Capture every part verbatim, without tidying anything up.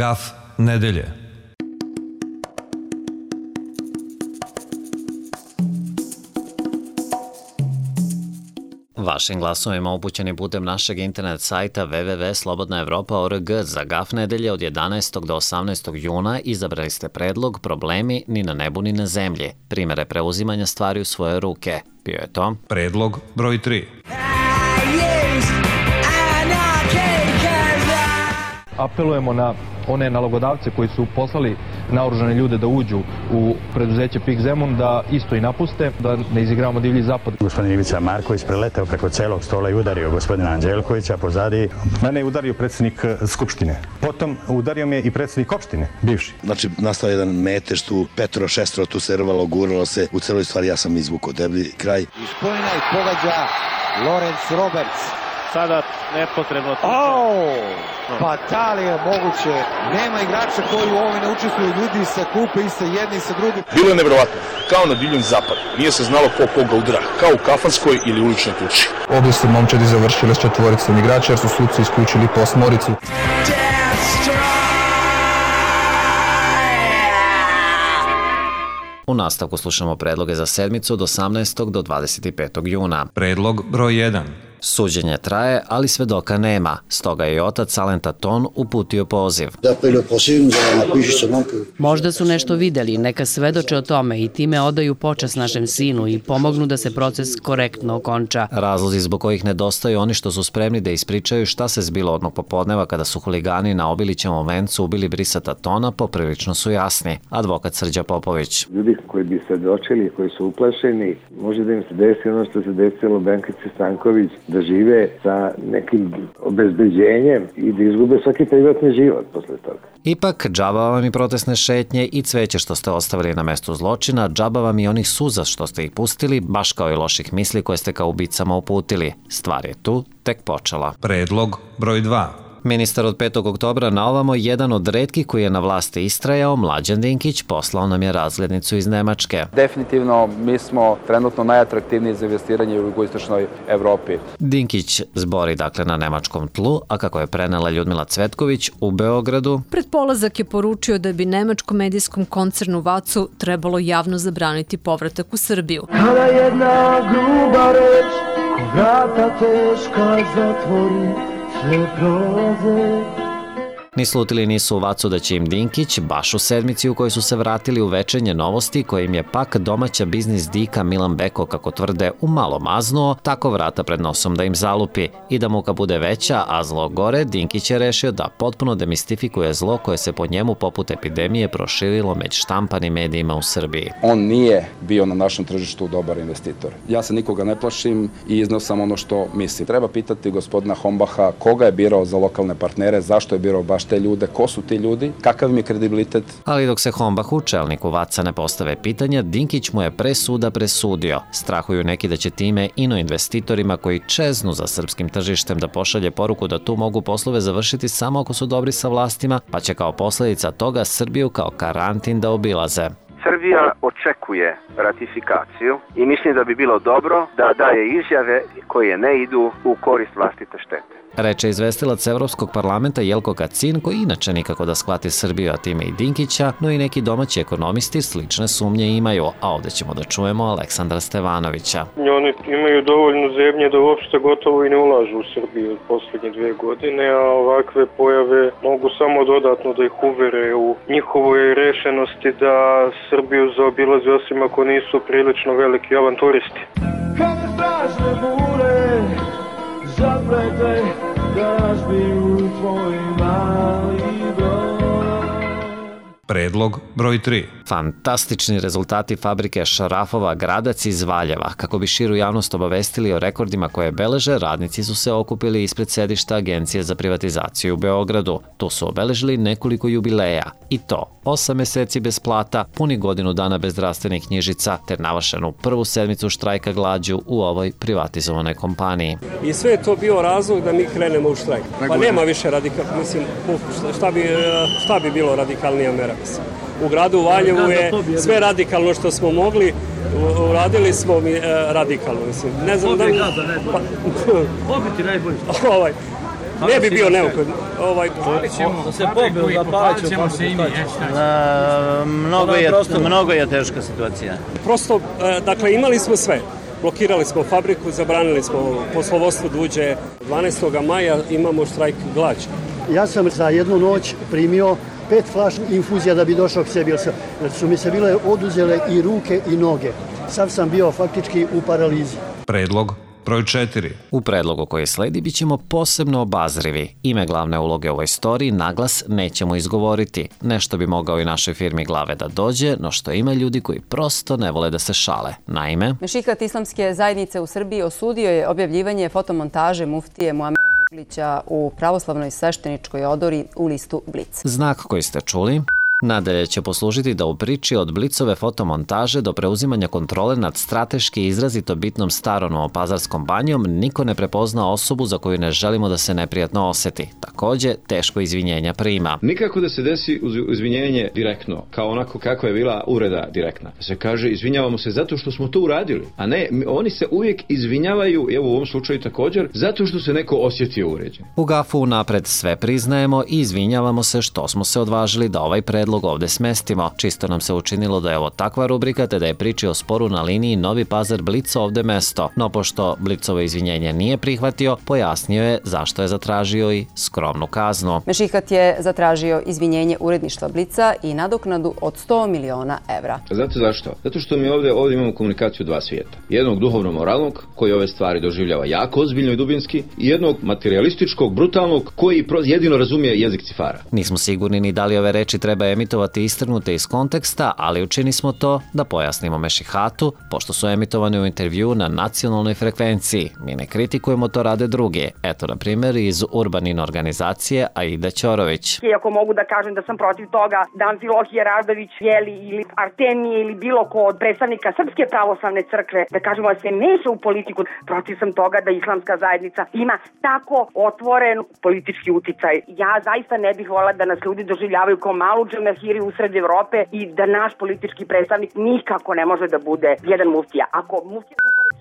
Gaf nedelje. Vašim glasovima upućeni putem našeg internet sajta w w w tačka slobodna evropa tačka org za Gaf nedelje od jedanaestog do osamnaestog juna izabrali ste predlog Problemi ni na nebu ni na zemlji. Primere preuzimanja stvari u svoje ruke. Bio je to Predlog broj tri. Apelujemo na one nalogodavce koji su poslali naoružane ljude da uđu u preduzeće PIK Zemun da isto i napuste, da ne izigravamo divlji zapad. Gospodin Ivica Marković preletao preko celog stola i udario gospodina Anđelkovića pozadi. Mene je udario predsjednik Skupštine. Potom udario me i predsjednik opštine, bivši. Znači, nastao jedan metež tu, petro, šestro, tu se rvalo, guralo se. U celoj stvari ja sam izvukao deblji kraj. Iz Kojina i pogađa Lorenz Roberts. Sada nepotrebno tuče. Oh, pa da li je moguće? Nema igrača koji u ovome ne učestvuju, ljudi sa klupe i sa jedni i sa drugim. Bilo je nevjerovatno, kao na divljem zapadu. Nije se znalo ko koga udara, kao u kafanskoj ili uličnoj tuči. Ovdje su momčadi završili s četvoricom igrača jer su suci isključili posmoricu. U nastavku slušamo predloge za sedmicu od osamnaestog do dvadeset petog juna. Predlog broj jedan. Suđenje traje, ali svedoka nema. Stoga je i otac Alenta Ton uputio poziv. Možda su nešto videli, neka svedoče o tome i time odaju počast našem sinu i pomognu da se proces korektno okonča. Razlozi zbog kojih nedostaju oni što su spremni da ispričaju šta se zbilo odnog popodneva kada su huligani na Obilićevom vencu ubili Brisata Tona poprilično su jasni. Advokat Srđa Popović. Ljudi koji bi svedočili, koji su uplašeni, može da im se desi ono što se desilo Benkici Stanković, da žive sa nekim obezbeđenjem i da izgube svaki privatni život posle toga. Ipak, džaba vam i protestne šetnje i cveće što ste ostavili na mestu zločina, džaba vam i onih suza što ste ih pustili, baš kao i loših misli koje ste kao ubicama uputili. Stvar je tu tek počela. Predlog broj dva. Ministar od petog oktobra na ovamo, jedan od retkih koji je na vlasti istrajao, Mlađan Dinkić, poslao nam je razglednicu iz Nemačke. Definitivno, mi smo trenutno najatraktivniji za investiranje u jugoistočnoj Evropi. Dinkić zbori dakle na nemačkom tlu, a kako je prenela Ljudmila Cvetković u Beogradu. Pred polazak je poručio da bi nemačkom medijskom koncernu Vacu trebalo javno zabraniti povratak u Srbiju. Kada jedna gruba reč, vrata teška zatvori, sve prolaze. Ni slutili nisu u Vacu da će im Dinkić, baš u sedmici u kojoj su se vratili u večernje novosti, koje im je pak domaća biznis dika Milan Beko, kako tvrde, umalo maznuo, tako vrata pred nosom da im zalupi. I da muka bude veća, a zlo gore, Dinkić je rešio da potpuno demistifikuje zlo koje se po njemu poput epidemije proširilo među štampanim medijima u Srbiji. On nije bio na našem tržištu dobar investitor. Ja se nikoga ne plašim i izneo sam ono što mislim. Treba pitati gospodina Hombaha koga je birao za lokalne partnere, zašto je birao baš te ljude, ko su ti ljudi, kakav im je kredibilitet. Ali dok se Hombahu, čelniku Vaca, ne postave pitanja, Dinkić mu je pre suda presudio. Strahuju neki da će time ino investitorima koji čeznu za srpskim tržištem da pošalje poruku da tu mogu poslove završiti samo ako su dobri sa vlastima, pa će kao posledica toga Srbiju kao karantin da obilaze. Srbija očekuje ratifikaciju i mislim da bi bilo dobro da daje izjave koje ne idu u korist vlastite štete. Reče izvestilac Evropskog parlamenta Jelko Kacin, koji inače nikako da shvati Srbiju, a time i Dinkića, no i neki domaći ekonomisti slične sumnje imaju, a ovdje ćemo da čujemo Aleksandra Stevanovića. Oni imaju dovoljno zemlje da uopšte gotovo i ne ulažu u Srbiju od poslednje dve godine, a ovakve pojave mogu samo dodatno da ih uvere u njihovoj rešenosti da Srbiju zaobilaze, osim ako nisu prilično veliki avanturisti. Kada strašne bure zaplete da razbiju tvoj mali broj. Predlog broj tri. Fantastični rezultati fabrike Šarafova Gradac iz Valjeva. Kako bi širu javnost obavestili o rekordima koje beleže, radnici su se okupili ispred sedišta Agencije za privatizaciju u Beogradu. Tu su obeležili nekoliko jubileja. I to osam meseci bez plata, puni godinu dana bez zdravstvenih knjižica, te navršenu prvu sedmicu štrajka glađu u ovoj privatizovanoj kompaniji. I sve je to bio razlog da mi krenemo u štrajk. Pa nema više radikalno, mislim, šta bi, šta bi bilo radikalnija mera, mislim. U gradu Valjevu je sve radikalno što smo mogli, uradili smo mi radikalno, mislim. Ne znam da... Pobiti najbolji. Ovaj, Ne bi bio neophodno. Ovaj, da se pobiju, da palit ćemo se i mi. Mnogo je, mnogo je teška situacija. Prosto, dakle, imali smo sve. Blokirali smo fabriku, zabranili smo poslovodstvo da uđe. dvanaestog maja imamo štrajk glađu. Ja sam za jednu noć primio pet flaša infuzija da bi došao k sebi, jer su mi se bile oduzele i ruke i noge. Sad sam bio faktički u paralizi. Predlog broj četiri. U predlogu koji sledi bit ćemo posebno obazrivi. Ime glavne uloge u ovoj storiji naglas nećemo izgovoriti. Nešto bi mogao i našoj firmi glave da dođe, no što ima ljudi koji prosto ne vole da se šale. Naime, Mešihat Islamske zajednice u Srbiji osudio je objavljivanje fotomontaže muftije Muamera Zukorlića u pravoslavnoj svešteničkoj odori u listu Blic. Znak koji ste čuli nadalje će poslužiti da u priči od Blicove fotomontaže do preuzimanja kontrole nad strateški izrazito bitnom starom Novopazarskom banjom niko ne prepozna osobu za koju ne želimo da se neprijatno oseti. Takođe, teško izvinjenja prima. Nikako da se desi izvinjenje direktno, kao onako kako je bila uvreda direktna. Da se kaže izvinjavamo se zato što smo to uradili, a ne, oni se uvijek izvinjavaju, evo u ovom slučaju također, zato što se neko osjetio uređen. U Gafu napred sve priznajemo i izvinjavamo se što smo se odvažili da ovaj predlog ovde smestimo. Čisto nam se učinilo da je ovo takva rubrika, te da je priči o sporu na liniji Novi Pazar Blic ovde mesto. No pošto Blicovo izvinjenje nije prihvatio, pojasnio je zašto je zatražio i skromnu kaznu. Mešihat je zatražio izvinjenje uredništva Blica i nadoknadu od sto miliona evra. Znate zašto? Zato što mi ovde, ovde imamo komunikaciju dva svijeta. Jednog duhovno-moralnog, koji ove stvari doživljava jako ozbiljno i dubinski, i jednog materialističkog, brutalnog, koji jedino razumije jezik cifara. Nismo sigurni ni da li ove reči treba emitovati istrgnute iz konteksta, ali učini smo to da pojasnimo Mešihatu, pošto su emitovane u intervju na nacionalnoj frekvenciji. Mi ne kritikujemo, to rade drugi. Eto, na primjer, iz Urbanin organizacije Aida Ćorović. Iako mogu da kažem da sam protiv toga da Amfilohije Radović, Jeli ili Artemije ili bilo ko od predstavnika Srpske pravoslavne crkve, da kažemo da se meša u politiku, protiv sam toga da islamska zajednica ima tako otvoren politički uticaj. Ja zaista ne bih volila da nas ljudi doživljavaju kao malu džemahiri usred Evrope i da naš politički predstavnik nikako ne može da bude jedan muftija. Ako muftija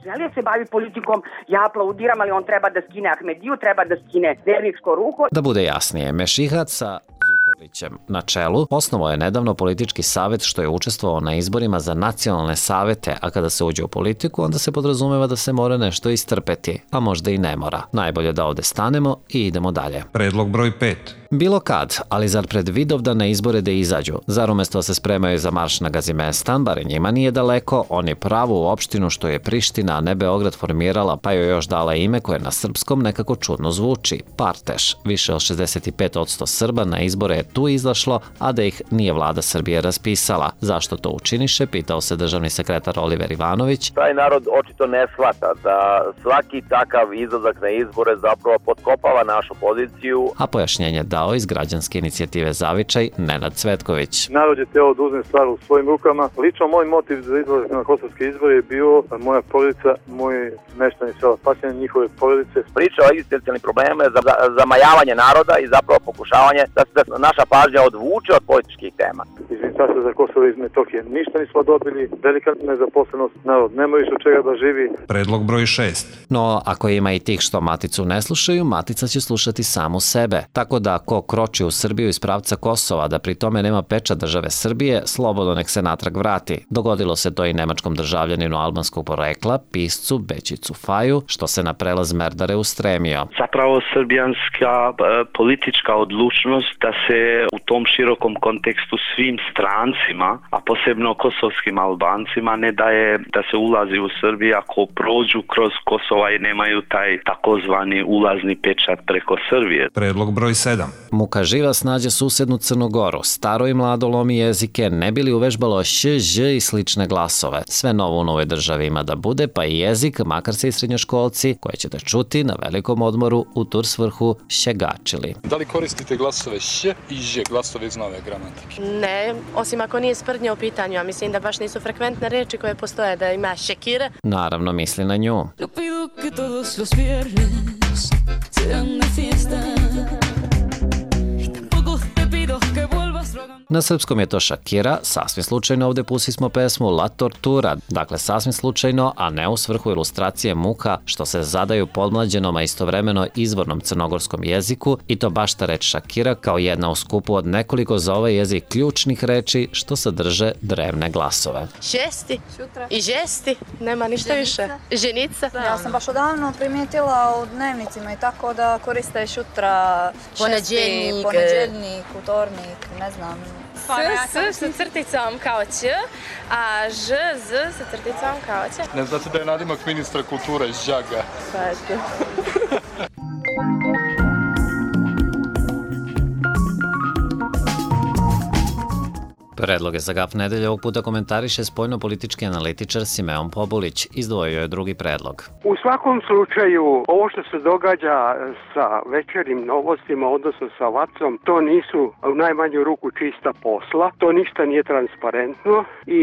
želi da se bavi politikom, ja aplaudiram, ali on treba da skine Ahmediju, treba da skine verničko ruho. Da bude jasnije, Mešihat sa Zukorlićem na čelu osnovao je nedavno politički savet što je učestvovao na izborima za nacionalne savete, a kada se uđe u politiku, onda se podrazumeva da se mora nešto istrpeti, a možda i ne mora. Najbolje da ovde stanemo i idemo dalje. Predlog broj pet. Bilo kad, ali zar pred Vidovdan na izbore da izađu? Zar umesto se spremaju za marš na Gazimestan, bar njima nije daleko, oni pravu opštinu što je Priština, a ne Beograd formirala, pa joj još dala ime koje na srpskom nekako čudno zvuči. Parteš. Više od šezdeset pet posto Srba na izbore je tu izašlo, a da ih nije vlada Srbije raspisala. Zašto to učiniše, pitao se državni sekretar Oliver Ivanović. Taj narod očito ne shvata da svaki takav izlazak na izbore zapravo potkopava našu poziciju. A pojašnjenje dao iz građanske inicijative Zavičaj Nenad Cvetković. Narod je teo da uzme stvar u svojim rukama. Lično moj motiv za izlazak na kosovske izbore je bio moja porodica, moji meštani sela Pasjane, njihove porodice. Priča o egzistencijalnim probleme, za, za, zamajavanje naroda i zapravo pokušavanje da se naša pažnja odvuče od političkih tema. Iz Ministarstva za Kosovo i Metohije ništa nismo dobili, velika nezaposlenost, narod nema više od čega da živi. Predlog broj šest. No, ako ima i tih što Maticu ne slušaju, Matica će slušati samu sebe. Tako da ko kroči u Srbiju iz pravca Kosova, da pri tome nema pečat države Srbije, slobodno nek se natrag vrati. Dogodilo se to i nemačkom državljaninu albanskog porekla, piscu Bećicu Faju, što se na prelaz Merdare ustremio. Zapravo srbijanska politička odlučnost da se u tom širokom kontekstu svim strancima, a posebno kosovskim Albancima, ne daje da se ulazi u Srbiju ako prođu kroz Kosova i nemaju taj takozvani ulazni pečat preko Srbije. Predlog broj sedam. Muka živa snađe susednu Crnu Goru, staro i mlado lomi jezike, ne bi li uvežbalo š, ž i slične glasove. Sve novo u novoj državi ima da bude, pa i jezik, makar se i srednjoškolci, koje ćete čuti na velikom odmoru u tur svrhu šegačili. Da li koristite glasove š i ž, glasove iz nove gramatike? Ne, osim ako nije sprdnja u pitanju, a mislim da baš nisu frekventne reči koje postoje, da ima šekire. Naravno misli na nju. Na srpskom je to Shakira, sasvim slučajno ovde pustimo pesmu La Tortura, dakle sasvim slučajno, a ne u svrhu ilustracije muka što se zadaju podmlađenom, a istovremeno izvornom crnogorskom jeziku, i to baš ta reč Shakira kao jedna u skupu od nekoliko za ovaj jezik ključnih reči što sadrže drevne glasove. Žesti. I žesti. Nema ništa više. Ženica. Ja sam baš odavno primijetila u dnevnicima i tako da koriste šutra, šesti, poneđeljnik, utornik, ne znam. S, s sa crticom kao Ć, a Ž, Z sa crticom kao Ć. Ne znate da je nadimak ministra kulture iz Đaga? Pa eto. Predloge za Gaf nedelje ovog puta komentariše spoljno-politički analitičar Simeon Pobulić. Izdvojio je drugi predlog. U svakom slučaju, ovo što se događa sa večernjim novostima, odnosno sa Vacom, to nisu u najmanju ruku čista posla, to ništa nije transparentno i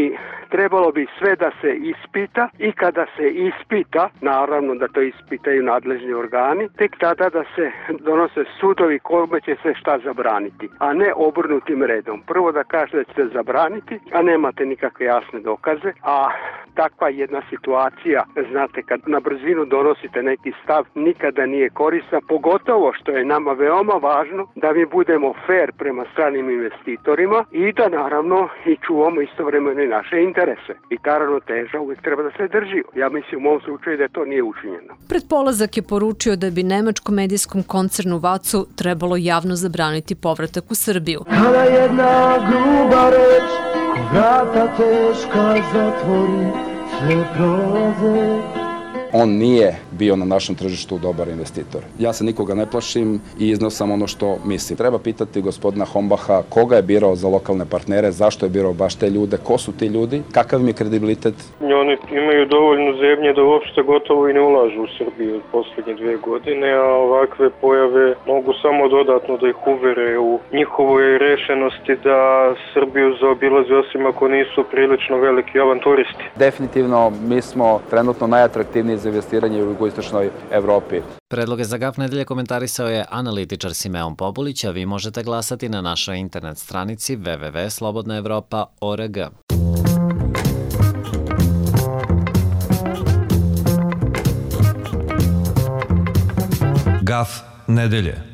trebalo bi sve da se ispita i kada se ispita, naravno da to ispitaju nadležni organi, tek tada da se donose sudovi kome će se šta zabraniti, a ne obrnutim redom. Prvo da kažete da ćete zabraniti, a nemate nikakve jasne dokaze, a takva jedna situacija, znate, kad na brzinu donosite neki stav, nikada nije korisna, pogotovo što je nama veoma važno da mi budemo fair prema stranim investitorima i da naravno i čuvamo istovremeno i naše interese. I ta ravnoteža uvijek treba da se drži. Ja mislim u mom slučaju da to nije učinjeno. Pred polazak je poručio da bi nemačkom medijskom koncernu Vacu trebalo javno zabraniti povratak u Srbiju. Kada jedna gruba reč, ko vrata teška zatvori, sve prolaze. On nije bio na našem tržištu dobar investitor. Ja se nikoga ne plašim i iznosam ono što mislim. Treba pitati gospodina Hombaha koga je birao za lokalne partnere, zašto je birao baš te ljude, ko su ti ljudi, kakav im je kredibilitet. Oni imaju dovoljno zemlje da uopšte gotovo i ne ulažu u Srbiju od poslednje dve godine, a ovakve pojave mogu samo dodatno da ih uvere u njihovoj rešenosti da Srbiju zaobilaze, osim ako nisu prilično veliki avanturisti. Definitivno mi smo trenutno najatraktivniji za investiranje u jugoistočnoj Evropi. Predloge za Gaf nedelje komentarisao je analitičar Simeon Pobulić, a vi možete glasati na našoj internet stranici w w w tačka slobodna evropa tačka org. Gaf nedelje.